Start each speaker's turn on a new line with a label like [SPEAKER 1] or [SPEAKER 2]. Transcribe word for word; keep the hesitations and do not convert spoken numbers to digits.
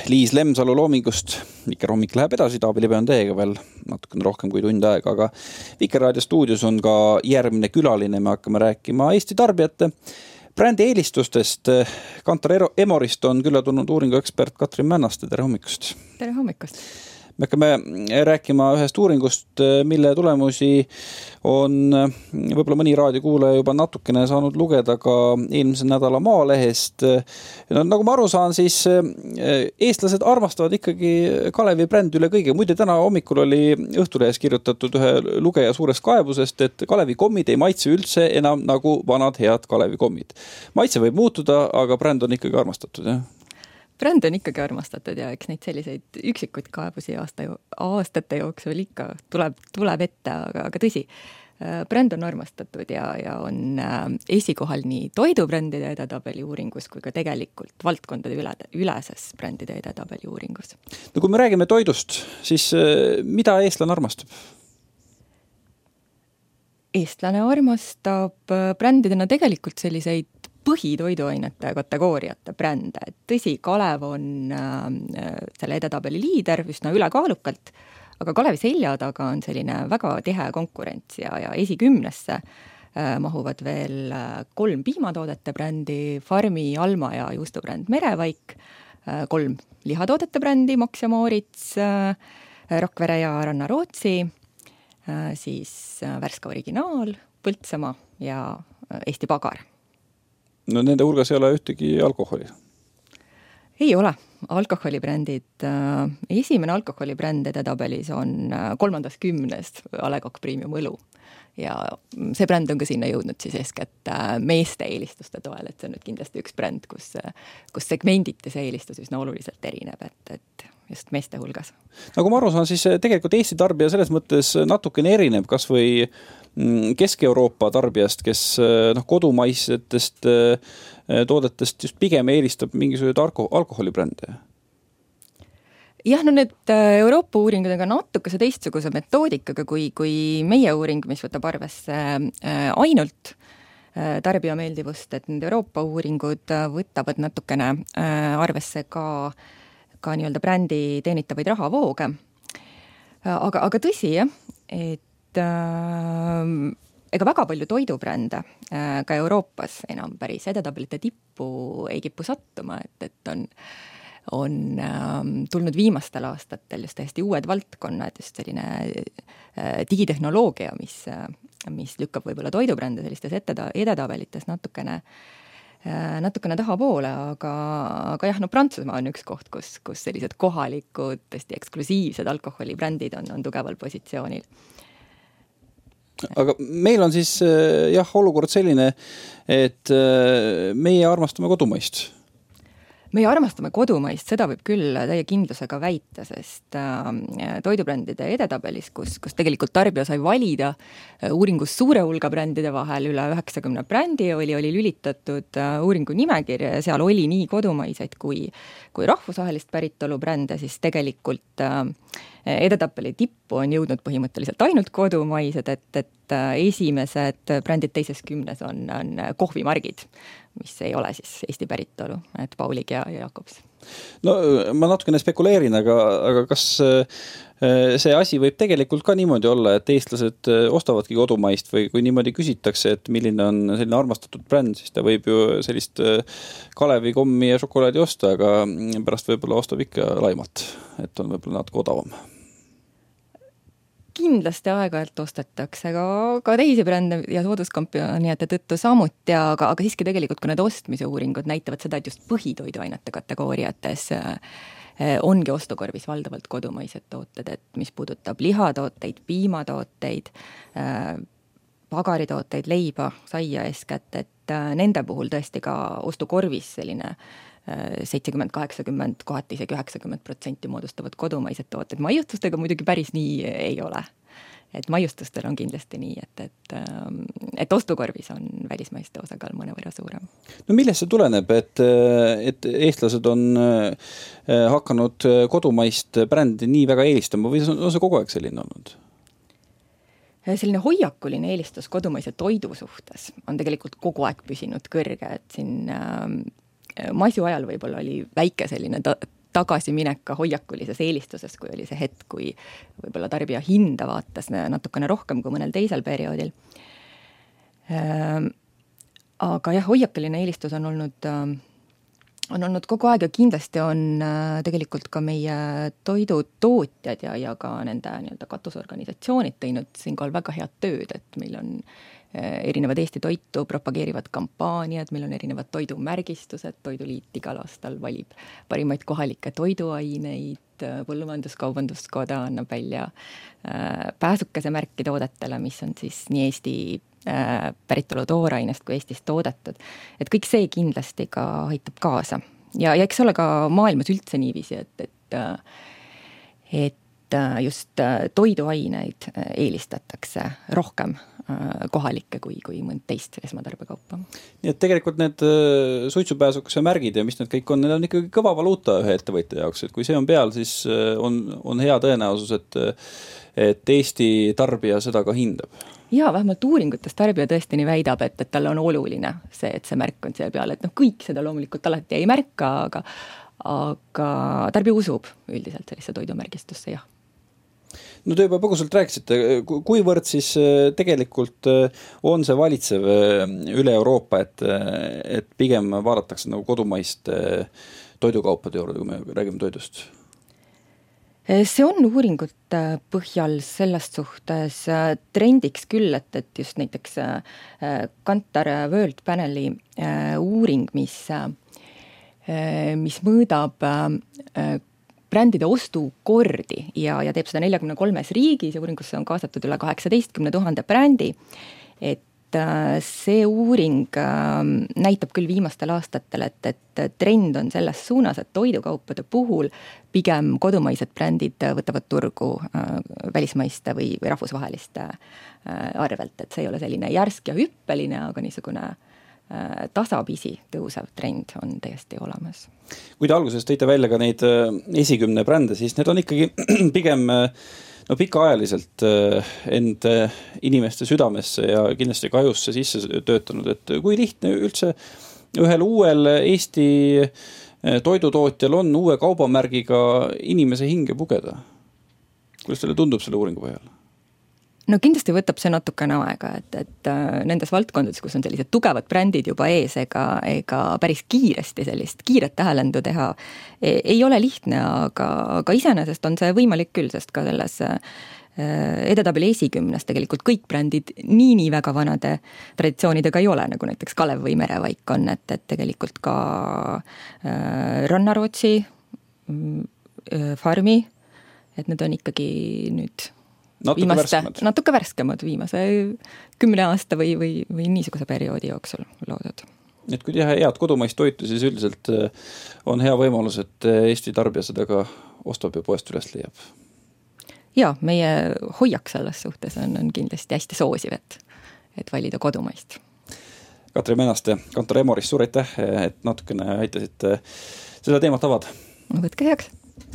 [SPEAKER 1] Liis Lemsalu Loomingust. Vikerhommik läheb edasi, Taavi Libe on teiega veel natukene rohkem kui tund aega, aga Vikerraadio stuudios on ka järgmine külaline. Me hakkame rääkima Eesti tarbijate brändi eelistustest. Kantar Emorist on külla tulnud uuringuekspert Katrin Männaste. Tere hommikust!
[SPEAKER 2] Tere hommikust!
[SPEAKER 1] Me hakkame rääkima ühest uuringust, mille tulemusi on võib-olla mõni raadiokuulaja juba natukene saanud lugeda ka eelmise nädala Maalehest. No, nagu ma aru saan, siis eestlased armastavad ikkagi Kalevi brändi üle kõige. Muide, täna hommikul oli Õhtulehes kirjutatud ühe lugeja suurest kaebusest, et Kalevi kommid ei maitse üldse enam nagu vanad head Kalevi kommid. Maitse võib muutuda, aga bränd on ikkagi armastatud, jah?
[SPEAKER 2] Bränd on ikkagi armastatud ja eks neid selliseid üksikuid kaebusi aasta, aastate jooksul ikka tuleb, tuleb ette, aga, aga tõsi, bränd on armastatud ja, ja on esikohal nii toidubrändide edetabeli uuringus kui ka tegelikult valdkondade üle, üleses brändide edetabeli uuringus.
[SPEAKER 1] No kui me räägime toidust, siis mida eestlane armastab?
[SPEAKER 2] Eestlane armastab brändidena tegelikult selliseid põhitoiduainete kategooriate brände. Tõsi, Kalev on äh, selle edetabeli liider üsna ülekaalukalt, aga Kalevi selja taga on selline väga tihe konkurents ja, ja esikümnesse äh, mahuvad veel kolm piimatoodete brändi, Farmi, Alma ja juustubränd Merevaik, äh, kolm lihatoodete brändi, Max ja Moritz, äh, Rakvere ja Ranna Rootsi, äh, siis äh, Värska Originaal, Põltsamaa ja äh, Eesti Pagar.
[SPEAKER 1] No nende hulgas ei ole ühtegi alkoholi?
[SPEAKER 2] Ei ole. Alkoholibrändid, esimene alkoholibränd edetabelis on kolmandas kümnest A Le Coq Premium õlu. Ja see bränd on ka sinna jõudnud siis eeskätt meeste eelistuste toel, et see on nüüd kindlasti üks bränd, kus, kus segmendite see eelistus üsna oluliselt erineb, et, et just meeste hulgas. Nagu
[SPEAKER 1] ma aru saan, siis tegelikult Eesti tarbija selles mõttes natukene erineb, kas või Kesk-Euroopa tarbijast, kes no, kodumaisetest toodetest just pigem eelistab mingisugused alko- alkoholibrände?
[SPEAKER 2] Jah, no need Euroopa uuringud on ka natukese teistsuguse metoodikaga kui, kui meie uuring, mis võtab arvesse ainult tarbija meeldivust, et need Euroopa uuringud võtavad natukene arvesse ka, ka nii-öelda brändi teenitavaid rahavooge. Aga, aga tõsi, jah, et ega väga palju toidubrände ka Euroopas enam päris edetabelite tippu ei kipu sattuma, et, et on, on tulnud viimastel aastatel just täiesti uued valdkonnad, just selline digitehnoloogia, mis, mis lükkab võib-olla toidubrände sellistes edetabelites natukene, natukene taha poole, aga, aga jah, no Prantsusmaa on üks koht, kus, kus sellised kohalikud, tõesti eksklusiivsed alkoholibrändid on, on tugeval positsioonil.
[SPEAKER 1] Aga meil on siis jah, olukord selline, et meie armastame kodumaist.
[SPEAKER 2] Meie armastame kodumaist, seda võib küll täie kindlusega väita, sest toidubrändide edetabelis, kus, kus tegelikult tarbija sai valida uuringus suure hulga brändide vahel, üle üheksakümne brändi oli, oli lülitatud uuringu nimekirja ja seal oli nii kodumaiseid kui, kui rahvusvahelist päritolu brände, siis tegelikult edetabeli tippu on jõudnud põhimõtteliselt ainult kodumaised, et, et esimesed brändid teises kümnes on, on kohvimargid, mis ei ole siis Eesti päritolu, et Paulig ja, ja Jakobs.
[SPEAKER 1] No ma natukene spekuleerin, aga, aga kas see asi võib tegelikult ka niimoodi olla, et eestlased ostavadki kodumaist või kui niimoodi küsitakse, et milline on selline armastatud bränd, siis ta võib ju sellist Kalevi kommi ja šokolaadi osta, aga pärast võib-olla ostab ikka Laimat, et on võib-olla natuke odavam.
[SPEAKER 2] Kindlasti aeg-ajalt ostetakse ka, ka teisi brände ja sooduskampioniate tõttu samuti, aga, aga siiski tegelikult, kui need ostmise uuringud näitavad seda, et just põhitoiduainete kategooriates ongi ostukorvis valdavalt kodumaised tooted, et mis puudutab lihatooteid, piimatooteid, pagaritooteid, leiba, saia eeskätt, et nende puhul tõesti ka ostukorvis selline seitsekümmend, kaheksakümmend, kohati isegi üheksakümmend protsenti moodustavad kodumaised tooted. Maiustustega muidugi päris nii ei ole. Et maiustustel on kindlasti nii, et, et, et ostukorvis on välismaiste osakaal mõnevõrra suurem.
[SPEAKER 1] No millest see tuleneb, et, et eestlased on hakanud kodumaist brändi nii väga eelistama või on see kogu aeg selline olnud?
[SPEAKER 2] Selline hoiakuline eelistus kodumaise toidu suhtes on tegelikult kogu aeg püsinud kõrge, et siin masu ajal võib-olla oli väike selline ta- tagasiminek ka hoiakulises eelistuses, kui oli see hetk, kui võib-olla tarbija hinda vaatas natukene rohkem kui mõnel teisel perioodil. Aga jah, hoiakuline eelistus on olnud, on olnud kogu aeg ja kindlasti on tegelikult ka meie toidutootjad ja, ja ka nende nii-öelda katusorganisatsioonid teinud siinkohal väga head tööd, et meil on erinevad Eesti toitu propageerivad kampaaniad, meil on erinevad toidumärgistused, Toiduliit igal aastal valib parimaid kohalikke toiduaineid, Põllumajandus-Kaubanduskoda annab välja pääsukese märki toodetele, mis on siis nii Eesti päritolu toorainest kui Eestis toodetud. Et kõik see kindlasti ka aitab kaasa. Ja, ja eks ole ka maailmas üldse niiviisi, et, et, et just toiduaineid eelistatakse rohkem kohalikke kui, kui mõnd teist esmatarbekaupa.
[SPEAKER 1] Nii et tegelikult need suitsupääsukese märgid ja mis need kõik on, need on ikkagi kõva valuuta ühe ettevõtja jaoks, et kui see on peal, siis on, on hea tõenäosus, et, et Eesti tarbija seda ka hindab.
[SPEAKER 2] Jaa, vähemalt uuringutes tarbija tõesti nii väidab, et, et tal on oluline see, et see märk on seal peal, et noh, kõik seda loomulikult alati ei märka, aga, aga tarbija usub üldiselt sellise toidumärgistusse, jah.
[SPEAKER 1] No te juba põgusalt rääkisite, kuivõrd siis tegelikult on see valitsev üle Euroopa, et, et pigem vaadatakse nagu kodumaist toidukaupade juurde, kui me räägime toidust?
[SPEAKER 2] See on uuringute põhjal sellest suhtes trendiks küll, et, et just näiteks Kantar World Paneli uuring, mis, mis mõõdab brändide ostukordi ja, ja teeb seda neljakümne kolmes riigis ja uuringusse on kaasatud üle kaheksateistkümne tuhande brändi, et see uuring näitab küll viimastel aastatel, et, et trend on selles suunas, et toidukaupade puhul pigem kodumaised brändid võtavad turgu välismaiste või, või rahvusvaheliste arvelt, et see ei ole selline järsk ja hüppeline, aga niisugune tasapisi tõusev trend on täiesti olemas.
[SPEAKER 1] Kui te alguses tõite välja ka neid esikümne brände, siis need on ikkagi pigem no pikaajaliselt end inimeste südamesse ja kindlasti ka ajusse sisse töötanud, et kui lihtne üldse ühel uuel Eesti toidutootjal on uue kaubamärgiga inimese hinge pugeda? Kuidas teile tundub selle uuringu põhjal?
[SPEAKER 2] No kindlasti võtab see natukene aega, et, et nendes valdkondades, kus on sellised tugevad brändid juba ees, ega, ega päris kiiresti sellist kiiret tähelendu teha ei ole lihtne, aga, aga iseenesest on see võimalik küll, sest ka selles edetabeli esikümnes tegelikult kõik brändid nii-nii väga vanade traditsioonidega ei ole, nagu näiteks Kalev või Merevaik on, et, et tegelikult ka Rannarootsi, Farmi, et need on ikkagi nüüd
[SPEAKER 1] Natuke
[SPEAKER 2] viimaste,
[SPEAKER 1] värskemad.
[SPEAKER 2] natuke värskemad viimase kümne aasta või, või, või niisuguse perioodi jooksul loodud.
[SPEAKER 1] Et kui teha head kodumaist toitu, siis üldiselt on hea võimalus, et Eesti tarbija seda ka ostab ja poest üles leiab.
[SPEAKER 2] Jaa, meie hoiak selles suhtes on, on kindlasti hästi soosiv, et, et valida kodumaist.
[SPEAKER 1] Katri Menaste, Kantar Emorist, suur aitäh, et natukene aitasite seda teemat avada.
[SPEAKER 2] Võtke heaks!